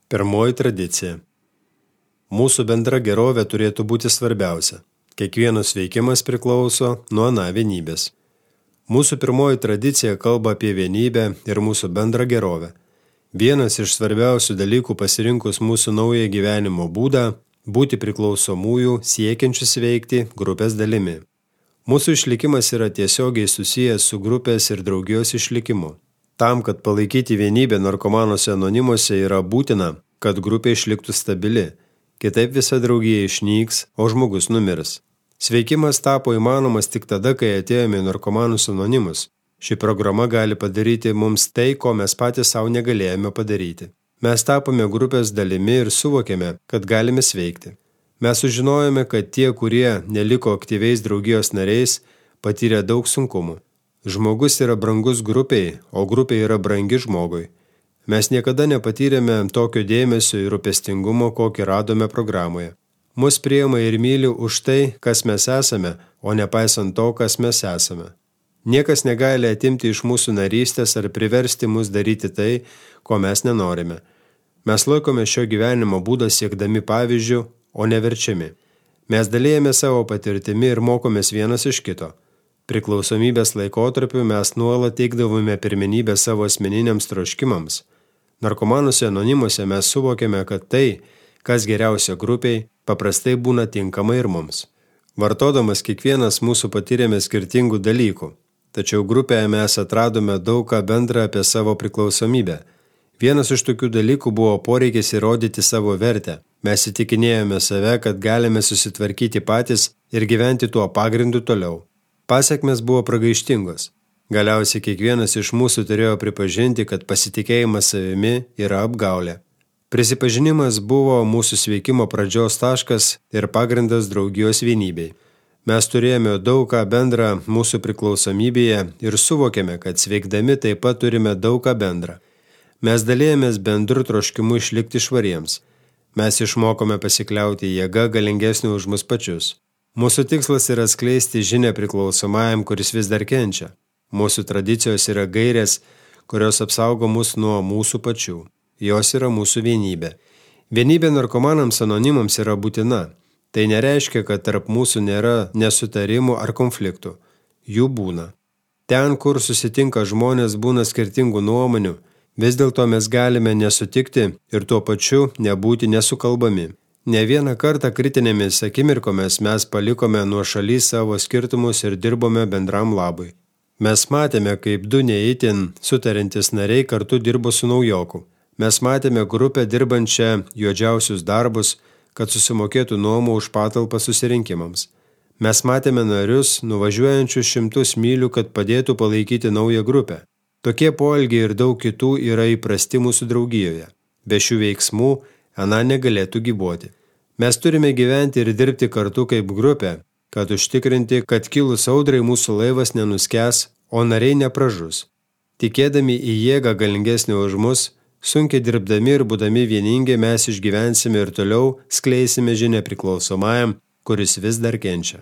Pirmoji tradicija. Mūsų bendra gerovė turėtų būti svarbiausia. Kiekvienas veikimas priklauso nuo vienybės. Mūsų pirmoji tradicija kalba apie vienybę ir mūsų bendrą gerovę. Vienas iš svarbiausių dalykų pasirinkus mūsų naują gyvenimo būdą – būti priklausomųjų siekiančius veikti grupės dalimi. Mūsų išlikimas yra tiesiogiai susijęs su grupės ir draugijos išlikimu. Tam, kad palaikyti vienybę narkomanuose anonimuose yra būtina, kad grupė išliktų stabili, kitaip visa draugija išnyks, o žmogus numirs. Sveikimas tapo įmanomas tik tada, kai atėjome į narkomanus anonimus. Ši programa gali padaryti mums tai, ko mes patys savo negalėjome padaryti. Mes tapome grupės dalimi ir suvokėme, kad galime sveikti. Mes sužinojome, kad tie, kurie neliko aktyviais draugijos nariais, patyrė daug sunkumų. Žmogus yra brangus grupiai, o grupė yra brangi žmogui. Mes niekada nepatyrėme tokio dėmesio ir rūpestingumo, kokį radome programoje. Mus priima ir myli už tai, kas mes esame, o nepaisant to, kas mes esame. Niekas negali atimti iš mūsų narystės ar priversti mus daryti tai, ko mes nenorime. Mes laikome šio gyvenimo būdą siekdami pavyzdžių, o neverčiami. Mes dalėjame savo patirtimi ir mokomės vienas iš kito. Priklausomybės laikotarpiu mes nuolat teikdavome pirmenybę savo asmeniniams troškimams. Narkomanuose anonimuose mes suvokėme, kad tai, kas geriausia grupiai, paprastai būna tinkama ir mums. Vartodamas kiekvienas mūsų patyrėme skirtingų dalykų, tačiau grupėje mes atradome daug ką bendrą apie savo priklausomybę. Vienas iš tokių dalykų buvo poreikis įrodyti savo vertę. Mes įtikinėjome save, kad galime susitvarkyti patys ir gyventi tuo pagrindu toliau. Pasekmės buvo pragaištingos. Galiausiai kiekvienas iš mūsų turėjo pripažinti, kad pasitikėjimas savimi yra apgaulė. Prisipažinimas buvo mūsų sveikimo pradžios taškas ir pagrindas draugijos vienybei. Mes turėjome daug ką bendrą mūsų priklausomybėje ir suvokėme, kad sveikdami taip pat turime daug ką bendrą. Mes dalėjomės bendru troškimu išlikti švariems. Mes išmokome pasikliauti jėga galingesnė už mus pačius. Mūsų tikslas yra skleisti žinią priklausomajam, kuris vis dar kenčia. Mūsų tradicijos yra gairės, kurios apsaugo mus nuo mūsų pačių. Jos yra mūsų vienybė. Vienybė narkomanams anonimams yra būtina. Tai nereiškia, kad tarp mūsų nėra nesutarimų ar konfliktų. Jų būna. Ten, kur susitinka žmonės, būna skirtingų nuomonių. Vis dėlto mes galime nesutikti ir tuo pačiu nebūti nesukalbami. Ne vieną kartą kritinėmis akimirkomis mes palikome nuošaly savo skirtumus ir dirbome bendram labui. Mes matėme, kaip du neįtin sutariantys nariai kartu dirbo su naujoku. Mes matėme grupę dirbančią juodžiausius darbus, kad susimokėtų nuomą už patalpą susirinkimams. Mes matėme narius, nuvažiuojančius 100 mylių, kad padėtų palaikyti naują grupę. Tokie poelgiai ir daug kitų yra įprasti mūsų draugijoje. Be šių veiksmų ana negalėtų gyvuoti. Mes turime gyventi ir dirbti kartu kaip grupė, kad užtikrinti, kad kilus audrai mūsų laivas nenuskęs, o nariai nepražus. Tikėdami į jėgą galingesnį už mus, sunkiai dirbdami ir būdami vieningi mes išgyvensime ir toliau skleisime žinią priklausomajam, kuris vis dar kenčia.